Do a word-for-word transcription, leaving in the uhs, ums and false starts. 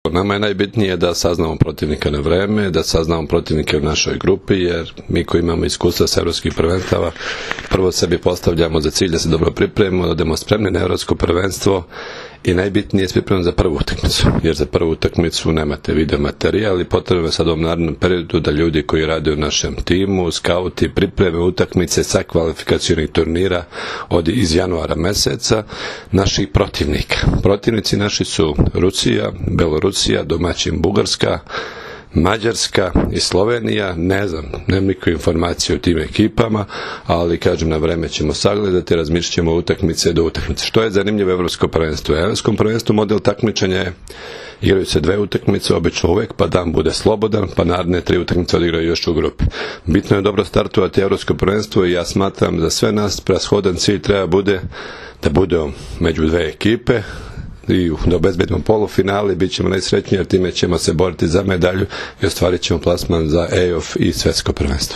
Nama je najbitnije da saznamo protivnika na vreme, da saznamo protivnike u našoj grupi, jer mi koji imamo iskustva sa evropskih prvenstava, prvo sebi postavljamo za cilj da se dobro pripremimo, da budemo spremni na evropsko prvenstvo i najbitnije je pripremiti za prvu utakmicu, jer za prvu utakmicu nemate video materijal i potrebno je sad u ovom narednom periodu da ljudi koji rade u našem timu, skauti, pripreme utakmice sa kvalifikacionih turnira od iz januara meseca naših protivnika. Protivnici naši su Rusija, Belorusija, domaćin Bugarska, Mađarska i Slovenija. Ne znam, nemam nikakve informacije o tim ekipama, ali kažem, na vreme ćemo sagledati, razmišljat ćemo utakmice do utakmice. Što je zanimljivo evropsko prvenstvo? U evropskom prvenstvu model takmičenja je igraju se dve utakmice, obično uvek, pa dan bude slobodan, pa naredne tri utakmice odigraju još u grupi. Bitno je dobro startovati evropsko prvenstvo i ja smatram za sve nas prashodan cilj treba bude da bude među dve ekipe i da obezbedimo polufinale, bit ćemo najsrećniji jer time ćemo se boriti za medalju i ostvarit ćemo plasman za E O F i svetsko prvenstvo.